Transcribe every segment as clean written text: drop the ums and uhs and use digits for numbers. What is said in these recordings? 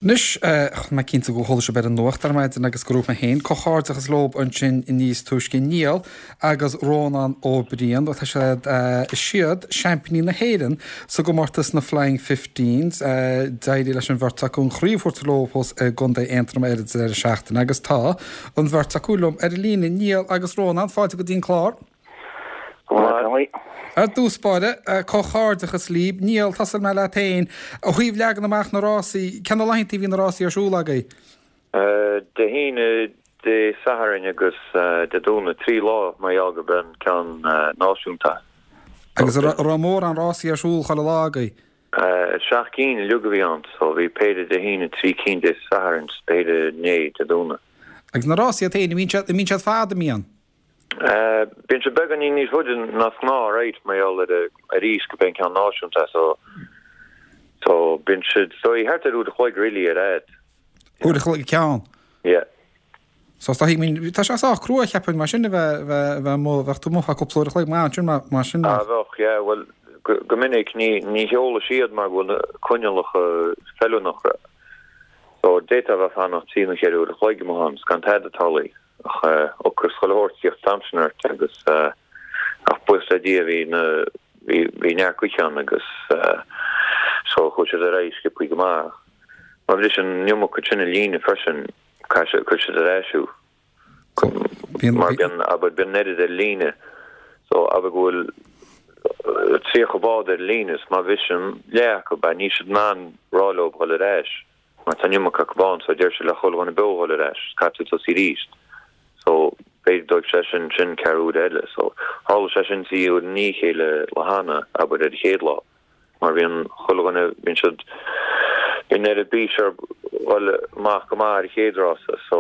Anois, tá mé cinnte go chuala sibh ar an nuacht ar maidin agus go raibh mé féin, comhghairdeachas leob ansin níos túisce, Niall agus Rónán Ó Briain, tá siad, is iad seaimpíní na hÉireann sa gcomórtas na Flying Fifteens. D'éirigh leis an bheirt acu an chraobh a thabhairt leo thuas i gContae Aontroma ar an deireadh seachtaine agus tá an bheirt acu liom ar an líne, Niall agus Rónán, fáilte go dtí an clár. Ar dtús báire, comhghairdeachas libh. Niall, tosóidh mé leat féin. Ó thaobh leagan amach na rásaí, cé na laethanta a bhí na rásaí ar siúl agaibh? Dé hAoine, Dé Sathairn agus Dé Domhnaigh, 3 lá mar gheall gurb é an ceann náisiúnta. Agus an raibh mórán rásaí ar siúl chuile lá agaibh? 7 gcinn uilig a bhí ann, so bhí péire Dé hAoine, 3 cinn Dé Sathairn 's péire inné, Dé Domhnaigh. Agus na rásaí iad féin, an mbíonn siad fada, an mbíonn? Bíonn sé beagáinín níos faide ná is gnáth, right, mar gheall ar arís gurb é an ceann náisiúnta so so bíonn siad so thart ar uair a chloig really ar fhad. Uair a chloig an ceann? Yeah. So is dóigh, I mean, tá sé sách crua cheapfainn mar sin a bheith bheith bheith amuigh, bheadh tú amuigh feadh cúpla uair a chloig maith ansin mar mar sin. Ah bheadh, yeah, bhuel go go minic ní ní sheoladh siad mar go bhfuil na coinníollacha feiliúnach so d'fhéadfá a bheith ag fanacht trí nó cheithre uair a chloig amuigh ann 's gan tada ag tarlú. Ach ocras chuile shórt ag tíocht an t-am sin ort agus ach buíochas le Dia bhí na bhí bhí neart gaoithe ann agus so chuaigh siad ar aghaidh sciobthaí go maith ach má bhriseann an iomarca sin an líne freisin caithfidh siad cuirfidh siad ar ais thú mar bíonn abair bíonn an oiread ar líne so abair go bhfuil 30 bád ar líne is má bhriseann leath acu níl siad in ann rá leo dhul ar ais. Mar tá an iomarca acu ann so deir siad le chuile dhuine beo dhul ar ais, caithfidh tú tosaí arís. So b'fhéidir dóibh sé sin sin ceathrú uaire eile. So tharla sé sin 3 uair i ndiaidh a chéile lá cheana, abair ar an chéad lá. Mar bhíonn chuile dhuine, bíonn siad, bíonn ar bís ar dhul amach go maith ar an chéad rása. So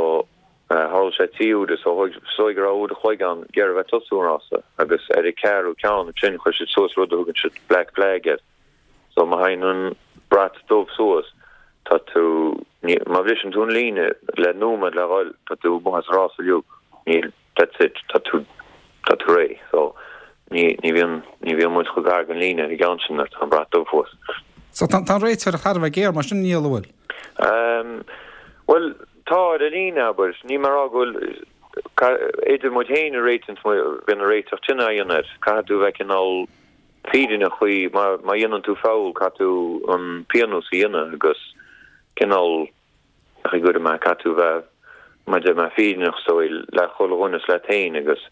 tharla sé 3 uaire so thóig, is dóigh go raibh uair a chloig ann iarraidh a bheith tosú an rása agus ar an ceathrú ceann ansin chuir siad suas rud a thugann siad black flag air. So má théann an brat dubh suas, tá tú, ní, má bhriseann tú an líne le nóiméad le dhul, tá tú amuigh as an rás uilig. Níl, that's it, tá tú, tá tú réidh. So ní, ní bhíonn, ní bhíonn muid chomh gar don líne ar an gceann sin nuair atá an brat dubh thuas. So tá, tá an réiteoireacht thar a bheith géar mar sin, Niall, an bhfuil? Um, bhuel, tá ar an líne, abair. Níl mé ag rá go bhfuil, idir muid féin a réitíonn, bíonn an réiteach tine á dhéanamh air. Caithfidh tú a bheith cineál fírinneach faoi, má dhéanann tú foul caithfidh tú an pionós a dhéanamh agus cineál ach i gcuir mé caithfidh tú bheith mar deir mé fírinneach is dóigh le chuile dhuine is leat féin agus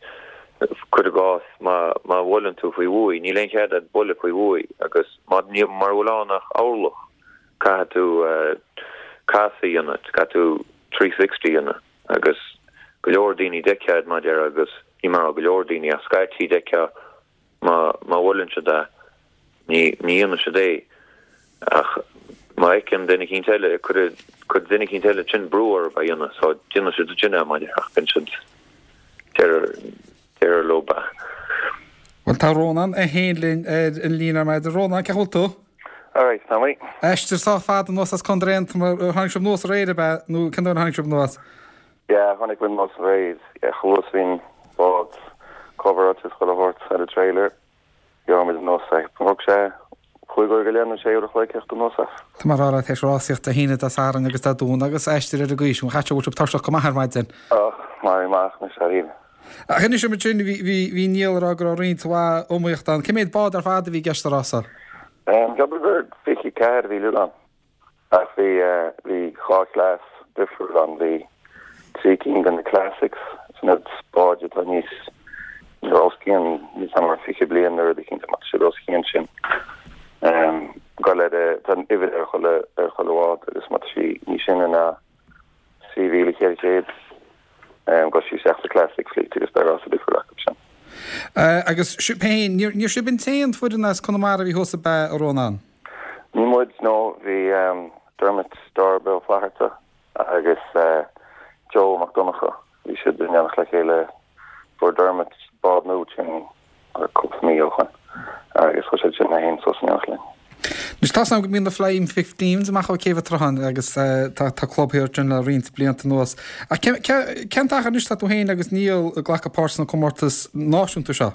cuir i gcás má má bhuaileann tú faoi bhuaidh níl aon chead agat bualadh faoi bhuaidh agus má ní mura bhfuil ann ach orlach caithfidh tú casadh a dhéanamh caithfidh tú 360 a dhéanamh agus go leor daoine d'fheicfeá mar deir agus ní mar go leor daoine ach scaití d'fheicfeá Má bhuaileann siad é, ní dhéanann siad é, ach má fheiceann duine eicínt eile, cuirfidh duine eicínt eile ansin brú orthu é a dhéanamh, so déanann siad ansin é, mar ach bíonn siad, deirtear leo é. Bhuel, tá Rónán é féin linn ar an líne ar maidin. Rónán, cén chaoi a bhfuil tú? Alright, tá mé. Aistear sách fada anuas as Contae Aontroma, tháinig sibh anuas aréir, ab ea? Nó cén uair a tháinig sibh anuas? Yeah, tháinig muid anuas aréir. Yeah, chomh luath is a bhí an bád coveráilte is chuile shórt ar an trailer, ghearr muid anuas é. Thóg sé chúig uair go leith nó sé uair a chloig theacht anuas as. Tá mé ag rá leat, théis rásaíocht Dé hAoine, Dé Sathairn agus Dé Domhnaigh agus aistear ar an gcaoi sin, chaithfidh sé go bhfuil sibh tuirseach go maith ar maidin. Ach, maraithe amach anois dáiríre. Ach inis dom ansin, bhí, bhí, bhí Niall ag rá go raibh roinnt mhaith iomaíochta ann. Cé mhéad bád ar fad a bhí i gceist sa rása? Ceapaim gur 24 a bhí uilig ann. Ach bhí, bhí dhá chleas difriúil ann. Bhí trí cinn de na Classics, sin iad báid atá níos, os cionn, níl 's a'm mar 20 bliain nó rud eicínt, má tá siad os cionn sin. Gabh i leith, tá an uimhir ar chuile, ar chuile bhád agus má tá sí níos sine ná 3400, gabhfaidh sí isteach sa Classic Fleet agus beidh rása difriúil acu sin. Agus sibh féin, níor, níor sibh an t-aon foireann as Conamara a bhí thuas ab ea, a Rónán? Ní muid, no. Bhí Dermot Darb Ó Flatharta agus Joe Mac Donncha, bhí siad in éineacht le chéile. Fuair Dermot bád nua sin cúpla mí ó shoin agus chuaigh siad sin é féin suas in éineacht linn. Anois tá's agam go mbíonn na Flying Fifteens amach ó Céibh an tSrutháin agus tá tá club thiar ansin le roinnt blianta anuas. Ach cén cén t-achar anois atá tú féin agus Niall ag glacadh páirt sna comórtais náisiúnta seo?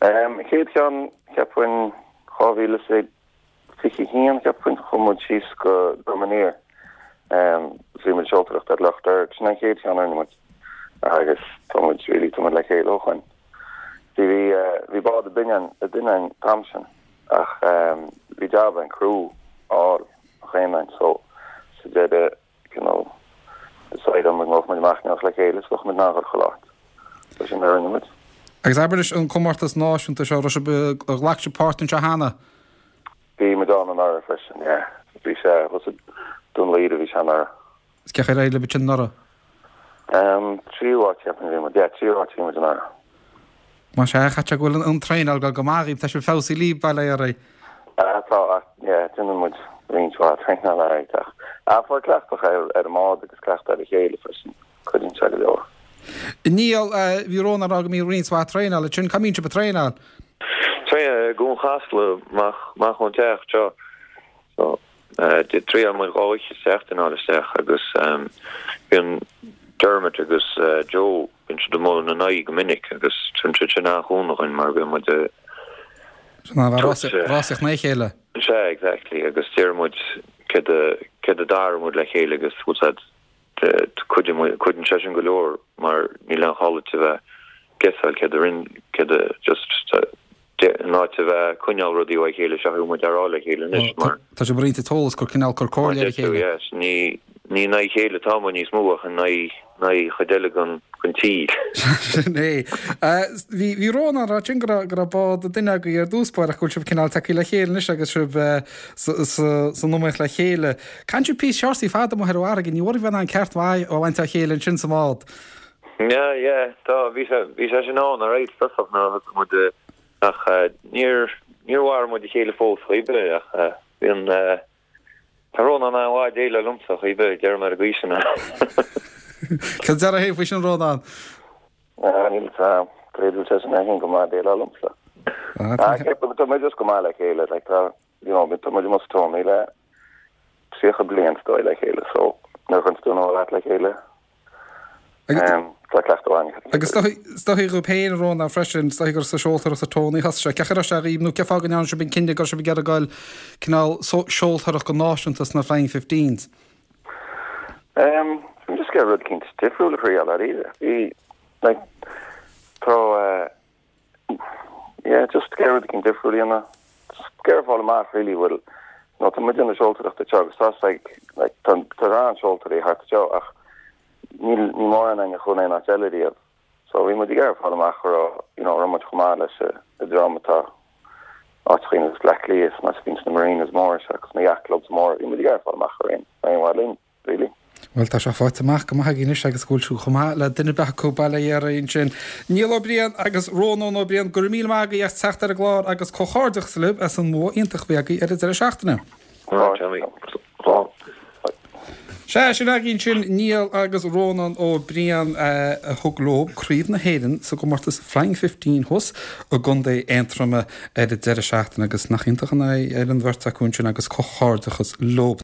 Chéad cheann, cheapfainn 2022. 21, cheapfainn, chuaigh muid síos go Droim Aniar. Bhí muid ag seoltóireacht ar Loch Deirg. Sin an chéad cheann a rinne muid agus tá muid really, tá muid le chéile ó shoin. Bhí, bhí bád ag duine againn an t-am sin ach bhí jab againn crew a fháil chaon duine so sa deireadh cineál decide muid go mbeadh muid amach in éineacht le chéile is bheadh muid in ann dhul chuile áit. So sin mar a rinne muid. Agus abair leis an comórtas náisiúnta seo, raibh sibh, ar ghlac sibh páirt anseo cheana? Bhí muid ann anuraidh freisin, yeah. Bhí sé thuas i Dún Laoghaire a bhí sé anuraidh. Is cén chaoi ar éirigh libh ansin anuraidh? Tríú háit cheapfainn a bhí muid, yeah, tríú háit a bhí muid anuraidh. Más ea, caithfidh sé go bhfuil an traenáil ag dul go maith dhaoibh, tá sibh feabhsaithe libh, bail ó Dhia oraibh. Ah tá, ach yeah, déanann muid roinnt mhaith traenála alright ach ah fáil cleachtadh ar ar an mbád agus cleachtadh ar a chéile freisin, cuidíonn sé go leor. Niall, bhí Rónán ag rá go mbíonn roinnt mhaith traenála ansin, cá mbíonn sibh ag traenáil? Traenáil i gCuan Chasla, amach amach ón teach seo. So, Triaileann muid dhá oíche sa tseachtain a fháil isteach agus bíonn Dermot agus Joe, bíonn siad amuigh ina n-aghaidh go minic agus tugann siad sin an-chúnamh dhuinn mar bíonn muid ag Rásaíocht na chéile. Sea, exactly agus deir muid céard a céard a d'athraigh muid le chéile agus bhfuil a fhios a'd cuidíonn sé sin go leor mar níl aon chall duit a bheith guessáil céard a rinn céard a just in áit a bheith ag coinneáil rudaí ó a chéile seo chuaigh muid á rá le chéile anois mar. Tá sibh ag roinnt an t-eolas cur cineál cur comhairle ar a chéile. Yes, ní ní in aghaidh a chéile atá muid níos mó ach in aghaidh in aghaidh chuid eile den den tír. Sin é. Bhí bhí Rónán ag rá ansin go raibh go raibh bád ag duine agaibh ar dtús báire ach go bhfuil sibh cineál tagtha le chéile anois agus sibh sa sa san iomaíocht le chéile. Caitheann sibh píosa seársaí fada amuigh ar an bhfarraige, ní bhfuil bheith in ann ceart maith a bhaint dá chéile ansin sa mbád. Yeah, yeah, tá, bhí sé, bhí sé sin ann, alright, i dtosach nuair a thosaigh muid ach níor, níor mharaigh muid a chéile fós chaoi bith ach bíonn, tá Rónán an-mhaith ag déileáil liomsa chaoi bith, deirim ar an gcaoi sin é. Cad a déarfá féin faoi sin Rónán? Ah, níl a fhios a'm, b'fhéidir go bhfuil seisean é féin go maith ag déileáil liomsa. Ah, ceapaim, tá muid just go maith le chéile, like tá, you know, tá muid amuigh sa Tony le 30 bliain is dóigh le chéile so nuair a chuireann tú an leat le chéile, Tá cleachtadh againn. Agus is dóichí dhaoibh féin, a Rónán, freisin, is dóichí gur sa seoltóireacht sa Tony a thosaigh sé. Cén chaoi a raibh sé dhaoibh nó cén fáth go ndearna sibh an cinneadh go raibh sibh ag iarraidh goil cineál seoltóireacht go náisiúnta sna Flying Fifteens? Bhí just ag iarraidh rud eicínt difriúil a thriail dáiríre. Bhí, like, tá, Yeah, just ag iarraidh rud eicínt difriúil a dhéanamh. Just ag iarraidh fáil amach really bhfuil, you know, tá muid ag déanamh seoltóireachta anseo agus tá like, like tá tá an-seoltóirí thart anseo ach níl ní mórán againn a chuaigh in aon áit eile riamh. So bhí muid ag iarraidh fáil amach an raibh, you know, raibh muid chomh maith leis an dream atá áiteachaí ar nós Bleá Cliath is mar a bhíonn sna marinas móra seo agus na yacht clubs móra, bhí muid ag iarraidh fáil amach an raibh aon mhaith linn. really. Bhuel, tá sé faighte amach go maith againn anois agus go bhfuil sibh chomh maith le duine ar bith acu, bail ó Dhia oraibh ansin. Niall Ó Briain agus Rónán Ó Briain, go raibh míle maith agaibh as teacht ar an gclár agus comhghairdeachas libh as an mbua iontach a bhí agaibh ar an deireadh seachtaine. Sea, sin againn sin Niall agus Rónán Ó Briain a thug leo Craobh na hÉireann sa gcomórtas Flying Fifteen thuas i gContae Aontroma ar an deireadh seachtaine agus nach iontach an ádh ar an bheirt acu ansin agus comhghairdeachas leo.